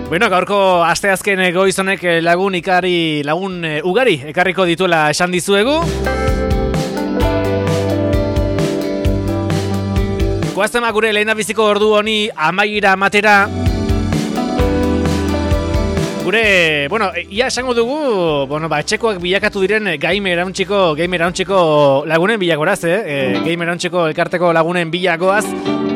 Bueno, gaurko asteazken goizonek lagun ugari ekarriko dituela esan dizuegu. Goaztema gure lehendabiziko ordu honi amaiera matera. Gure, ia esango dugu, etxekoak bilakatu diren gamer hauntxiko lagunen bilakoraz, gamer hauntxiko elkarteko lagunen bilakoaz.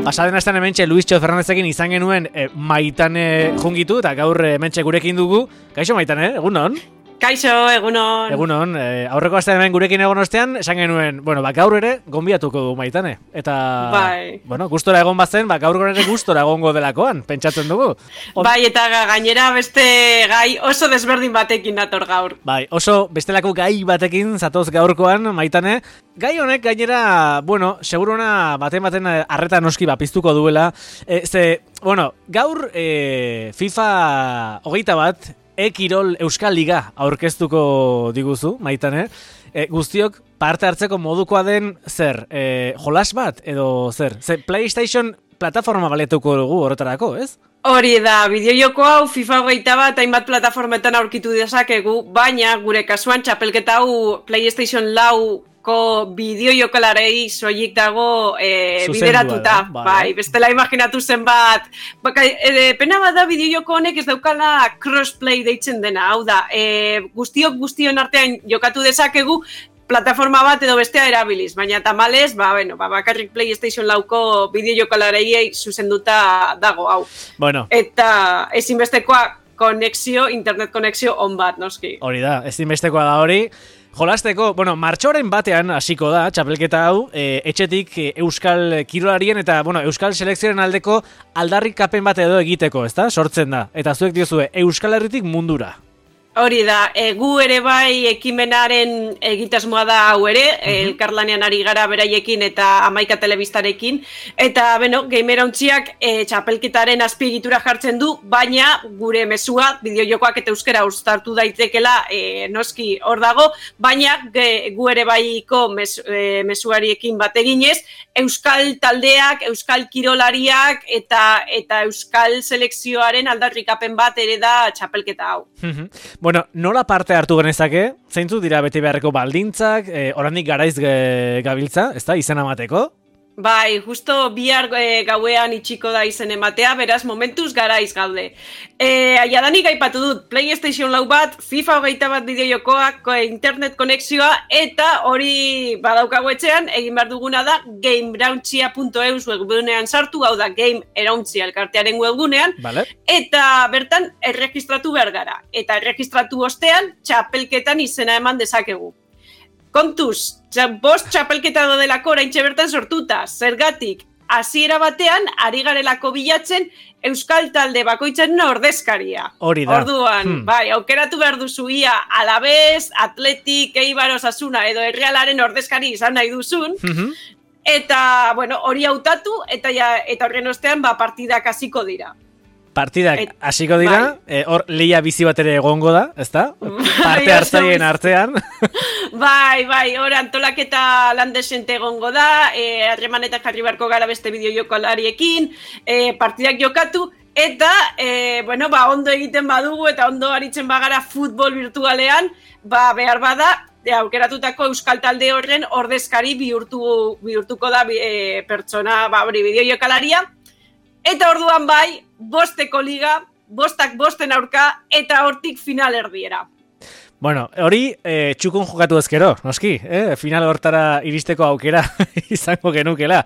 Pasaden astean hementxe Luistxo Fernandezekin izan genuen Maitane jungitu, eta gaur hementxe gurekin dugu. Kaixo Maitane, egunon? Kaixo, egunon. Egunon, aurreko astean hemen gurekin egon ostean, esan genuen, gaur ere gonbiatuko du Maitane. Eta, gustora egon bazen, gaur ere gustora egongo delakoan, pentsatzen dugu. Bai, eta gainera beste gai oso desberdin batekin dator gaur. Bai, oso bestelako gai batekin zatoz gaurkoan, Maitane. Gai honek gainera, seguruna baten arreta noski piztuko duela. Gaur FIFA 21 Kirol Euskal Liga aurkeztuko diguzu, Maitane. Guztiok parte hartzeko modukoa den zer? Jolas bat edo zer? PlayStation plataforma baletuko dugu horretarako, ez? Hori da, bideojoko hau FIFA 21 hainbat plataformetan aurkitu dezakegu, baina gure kasuan txapelketa hau PlayStation 4 bideojokalarei soilik dago bideratuta. Bai, bestela imaginatu zen bat. Pena bat da bideojoko honek ez daukala crossplay deitzen dena. Hau da, guztion artean jokatu dezakegu plataforma bat edo bestea erabiliz. Baina tamalez, bakarrik PlayStation 4ko bideojokalarei zuzenduta dago, hau. Eta ezinbestekoa internet konexio on bat, noski. Hori da, ezinbestekoa da hori. Jolasteko, martxoaren batean hasiko da, txapelketa hau, etxetik euskal kirolarien eta, euskal selekzioaren aldeko aldarrikapen bat edo egiteko, ezta? Sortzen da. Eta zuek diozue, Euskal Herritik mundura. Hori da, gu ere bai ekimenaren egitasmoa da hau ere, elkarlanean ari gara beraiekin eta Hamaika telebistarekin, eta, gamer hauntziak txapelketaren azpiegitura jartzen du, baina gure mezua, bideojokoak eta euskara uztartu daitekela noski hor dago, baina gu ere baiko mezuariekin bat eginez, euskal taldeak, euskal kirolariak eta euskal selekzioaren aldarrikapen bat ere da txapelketa hau. Nola parte hartu genezake? Zeintzu dira bete beharreko baldintzak, oraindik garaiz gabiltza, ezta, izena emateko? Bai, justo bihar gauean itxiko da izen ematea, beraz momentuz garaiz gaude. Jadanik aipatu dut, PlayStation 4 bat, FIFA 21 bideojokoak, internet konexioa, eta hori badaukago etxean, egin behar duguna da gamerauntxia.eus webgunean sartu, hau da Game Erauntzia elkartearen webgunean, eta bertan erregistratu behar gara. Eta erregistratu ostean, txapelketan izena eman dezakegu. Kontuz, bost txapelketa dodelako oraintxe bertan sortuta, zergatik, hasiera batean, ari garelako bilatzen euskal talde bakoitzaren ordezkaria. Hori da. Orduan, aukeratu behar duzu ia Alavés, Atletik, Eibar, Osasuna edo Errealaren ordezkari izan nahi duzun, eta, hori hautatu, eta horren ostean, partidak hasiko dira. Partidak hasiko dira, hor lehia bizi bat ere egongo da, ezta? Parte hartzaien artean. Bai, hor antolaketa lan desente egongo da, harremanetan jarri beharko gara beste bideojokalariekin, partidak jokatu, eta, ondo egiten badugu eta ondo aritzen bagara futbol virtualean, behar bada, aukeratutako euskal talde horren ordezkari bihurtuko da pertsona, bideojokalaria, eta orduan bosteko liga, bostak bosten aurka, eta hortik final erdiera. Hori txukun jokatu ezkero, noski, final hortara iristeko aukera izango genukela.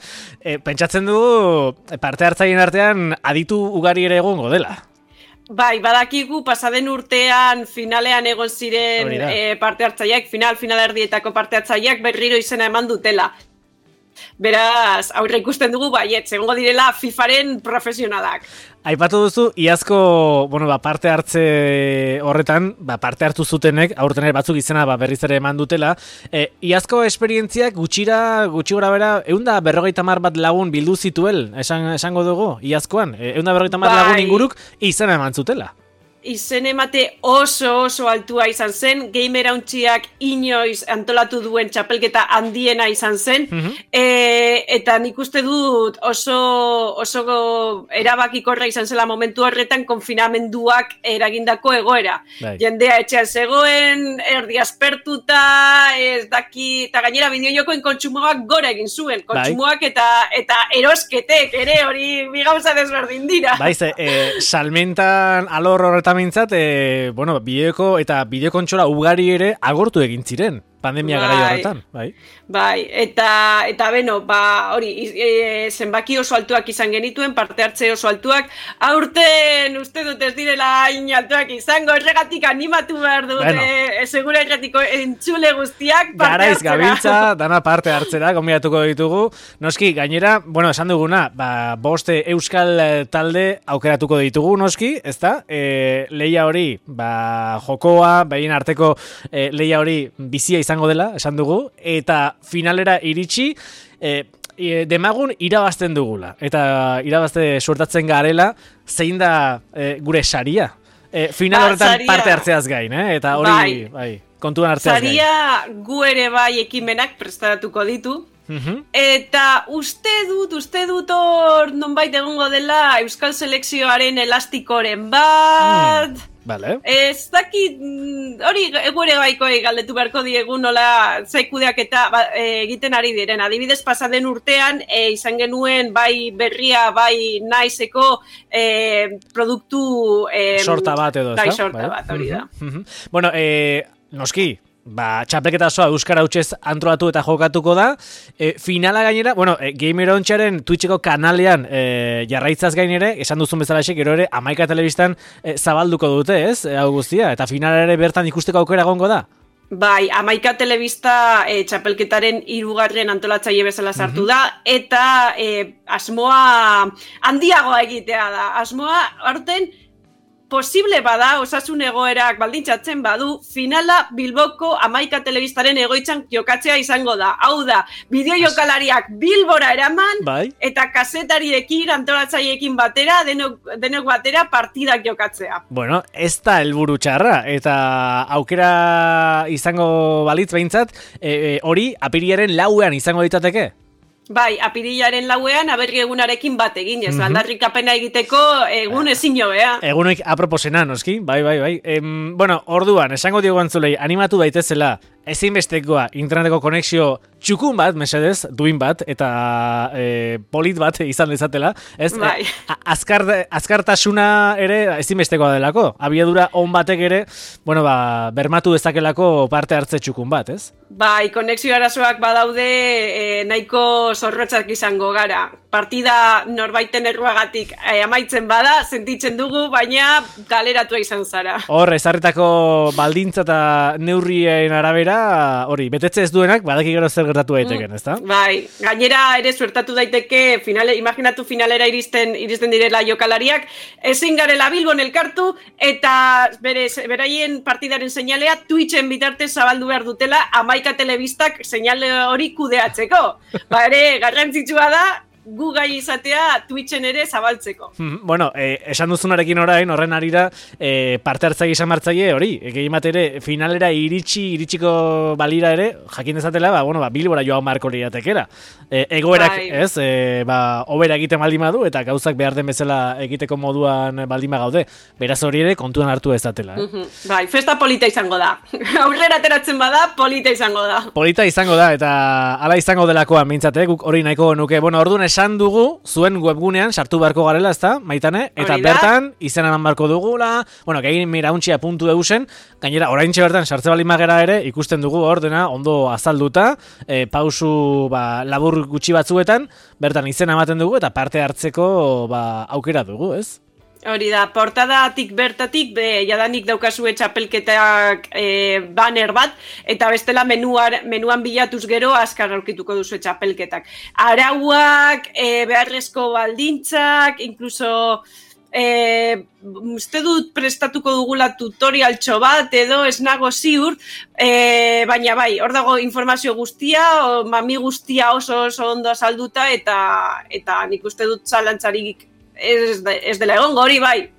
Pentsatzen dugu parte hartzaien artean aditu ugari ere egongo dela. Bai, badakigu pasaden urtean finalean egon ziren parte hartzaileak, final erdietako parte hartzaileak berriro izena eman dutela. Beraz, aurre ikusten dugu egongo direla FIFAren profesionalak. Aipatu duzu, iazko, parte hartze horretan, parte hartu zutenek, aurten batzuk izena berriz ere eman dutela. Iazko esperientziak gutxi gora bera, 150 bat lagun bildu zituel, esango dugu, iazkoan. 150 lagun inguruk izena eman zutela. izen emate oso altua izan zen, gamer hauntxiak inoiz antolatu duen txapelketa handiena izan zen, eta nik uste dut oso erabakikorra izan zela momentu horretan konfinamenduak eragindako egoera. Jendea etxean zegoen, erdi aspertuta, ez daki, eta gainera bideojokoen kontsumoak gora egin zuen, kontsumoak eta erosketek ere hori bi gauza desberdin dira. Salmentan alor horretan mintzat, bideoko eta bideokontsola ugari ere agortu egin ziren. Pandemia garai horretan, bai. Eta beno, hori, zenbaki oso altuak izan genituen, parte hartze oso altuak, aurten uste dut ez direla hain altuak izango, erregatik animatu behar dute, segura erretiko entzule guztiak parte hartzera. Garaiz gabiltza, dana parte hartzera, gonbidatuko ditugu. Noski, gainera, esan duguna, boste euskal talde aukeratuko ditugu, noski, ezta? Leia hori, jokoa, behien arteko leia hori bizia izango dela, esan dugu, eta finalera iritsi, demagun irabazten dugula. Eta irabazte suertatzen garela, zein da gure saria. Final horretan parte hartzeaz gain, eta hori kontuan hartzeaz gain. Saria gu ere bai ekimenak prestaratuko ditu, eta uste dut hor nonbait egongo dela Euskal Selekzioaren elastikoren bat... Vale. Ez dakit, hori egure baikoi galdetu beharko diegu nola zaikudeak eta egiten ari diren. Adibidez, pasaden urtean, izan genuen bai berria, bai naizeko produktu... sorta bat edo, ez da? Bai, sorta bat, hori da. Bueno, noski, txapelketa osoa euskara hutsez antolatu eta jokatuko da. Finala gainera, Gamer Ontxaren Twitcheko kanalean jarraitzaz gainere, esan duzun bezalaxe, gero ere, Amaika Telebistan zabalduko dute, ez? Hau guztia, eta finala ere bertan ikusteko aukera egongo da? Bai, Amaika Telebista txapelketaren 3. antolatzaile bezala sartu da, eta asmoa handiagoa egitea da. Asmoa, aurten, posible bada, osasun egoerak baldintzatzen badu, finala Bilboko Amaika Telebistaren egoitzan jokatzea izango da. Hau da, bideojokalariak Bilbora eraman, eta kazetariekin, antolatzaileekin batera, denok batera partidak jokatzea. Bueno, ez da helburu txarra, eta aukera izango balitz behintzat, hori apirilaren 4ean izango ditateke? Bai, apirilaren 4ean aberri egunarekin bat egin, ez aldarrikapena egiteko egun ezin jobea. Egunek aproposena, noski, bai. Orduan, esango diogu antzulei, animatu daitezela, ezinbestekoa interneteko konexio txukun bat, mesedez, duin bat, eta polit bat izan dezatela. Bai. Azkartasuna ere ezinbestekoa delako. Abiadura on batek ere, bermatu dezakelako parte hartze txukun bat, ez? Bai, konexio arazoak badaude nahiko zorrotzak izango gara. Partida norbaiten erruagatik amaitzen bada, sentitzen dugu, baina galeratua izan zara. Hor, ezarritako baldintza eta neurrien arabera, hori, betetze ez duenak, badaki gero zer gertatu daiteken, ezta? Bai, gainera ere suertatu daiteke, imaginatu finalera iristen direla jokalariak, ezin garela Bilbon elkartu, eta beraien partidaren seinalea Twitchen bitartez zabaldu behar dutela Amaika Telebistak seinale hori kudeatzeko. Ere, garrantzitsua da, gu gai izatea Twitchen ere zabaltzeko. Esan duzunarekin orain, horren arira, parte hartzaile izan martzaile hori, egin bat ere, finalera iritsiko balira ere, jakin dezatela, Bilbora joan marko liratekera. Egoerak, ez, obera egiten baldin badu, eta gauzak behar den bezala egiteko moduan baldin gaude. Beraz hori ere, kontuan hartu ezatela. Bai, festa polita izango da. Aurrera ateratzen bada, polita izango da. Polita izango da, eta hala izango delakoan, mintzate, guk hori nahiko nuke. Orduan esan dugu, zuen webgunean sartu beharko garela, ezta, Maitane? Eta bertan, izena eman beharko dugula, gamerauntxia.eusen, gainera, oraintxe bertan, sartze baldin magera ere, ikusten dugu hor dena, ondo azalduta, pausu labur gutxi batzuetan, bertan izena ematen dugu, eta parte hartzeko aukera dugu, ez? Hori da, portadatik bertatik, jadanik daukazue txapelketak banner bat, eta bestela menuan bilatuz gero azkar aurkituko duzu txapelketak. Arauak, beharrezko baldintzak, inkluso uste dut prestatuko dugula tutorialtxo bat edo ez nago ziur, baina bai, hor dago informazio guztia, mami guztia oso ondo azalduta, eta nik uste dut zalantzarik ez dela egon hori bai,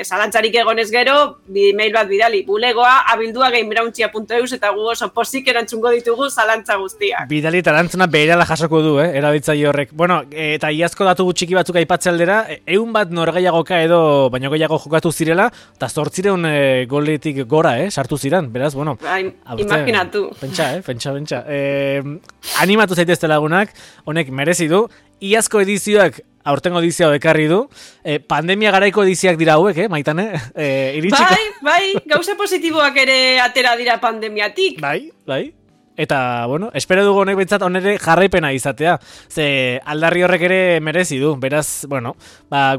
zalantzarik egonez gero, mail bat bidali, bulegoa abildua@gamebrauntzia.eus eta gu oso pozik erantzungo ditugu zalantza guztiak. Bidali eta erantzuna beherala jasoko du, erabiltzaile horrek. Bueno, eta iazko datu txiki batzuk aipatze aldera, 100 bat norgehiagoka edo baino gehiago jokatu zirela, eta 800 goletik gora, sartu ziren, beraz, bueno. Imaginatu. Pentsa. Animatu zaitezte lagunak, honek merezi du. Iazko edizioak aurtengo edizioa ekarri du. Pandemia garaiko edizioak dira hauek, Maitane? Bai, gauza positiboak ere atera dira pandemiatik. Bai. Eta, bueno, espero dugu honek bentsat onere jarraipena izatea. Ze aldarri horrek ere merezi du. Beraz, bueno,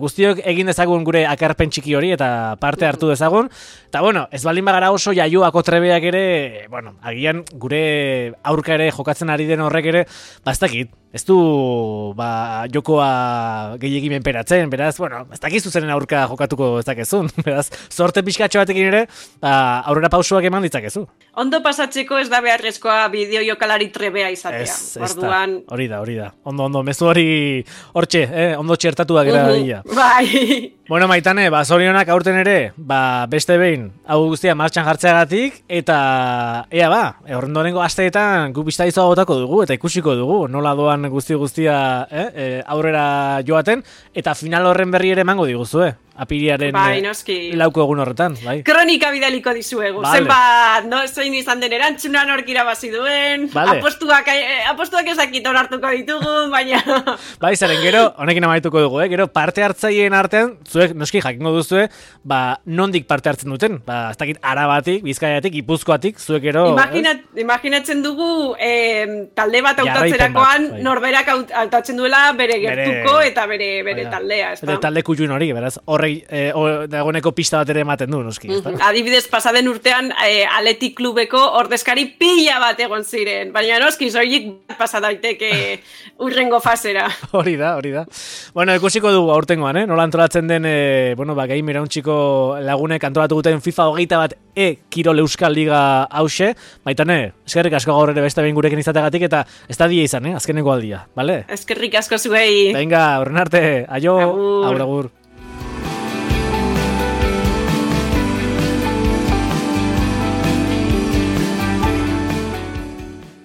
guztiok egin dezagun gure akarpen txiki hori eta parte hartu dezagun. Eta, bueno, ez baldin bagara oso jaioako trebeak ere, bueno, agian gure aurka ere jokatzen ari den horrek ere, ez dakit. Ez du jokoa gehiegi menperatzen, beraz, bueno, ez dakizu zeren aurka jokatuko ez dakezun. Beraz, sorte pixkatxo batekin ere, aurrera pausuak eman ditzakezu. Ondo pasatzeko ez da beharrezkoa bideo jokalari trebea izatea. Orduan... Hori da. Ondo, mezu hori hortxe, ondo txertatuak era. Bai. Bueno, Maitane, zorionak aurten ere, beste behin, hau guztia martxan jartzeagatik, eta horrendorengo asteetan gu biztaizoa botako dugu, eta ikusiko dugu, nola doan guztia aurrera joaten, eta final horren berri ere emango diguzue. Apiriaren lauko egun horretan, bai. Kronika bidaliko dizuegu. Vale. Zenbat, zein izan den erantzuna nork irabazi duen, vale. apostuak ezakit onartuko ditugu, baina... Bai, zaren gero, honekin amaituko dugu, gero parte hartzaileen artean, zuek noski jakingo duzue, nondik parte hartzen duten, ez dakit Arabatik, Bizkaiatik, Gipuzkoatik, zuek gero... Imaginatzen dugu, talde bat hautatzerakoan, bai. Norberak hautatzen duela bere gertuko eta bere taldea, ez da? Talde kutxun hori, beraz, dagoeneko pista bat ere ematen du, noski. Adibidez, pasaden urtean Athletic Klubeko ordezkari pila bat egon ziren, baina noski, zoiik pasa daiteke urrengo fasera. Hori da. Bueno, ikusiko dugu aurtengoan, nola antolatzen den, Game Irauntziko lagunek antolatu guten FIFA 21 Kirol Euskal Liga hause. Maitane, eskerrik asko gaur ere beste behin gurekin izategatik, eta ez da dia izan, azkeneko aldia, bale? Eskerrik asko zuei. Venga, horren arte, aio, agur.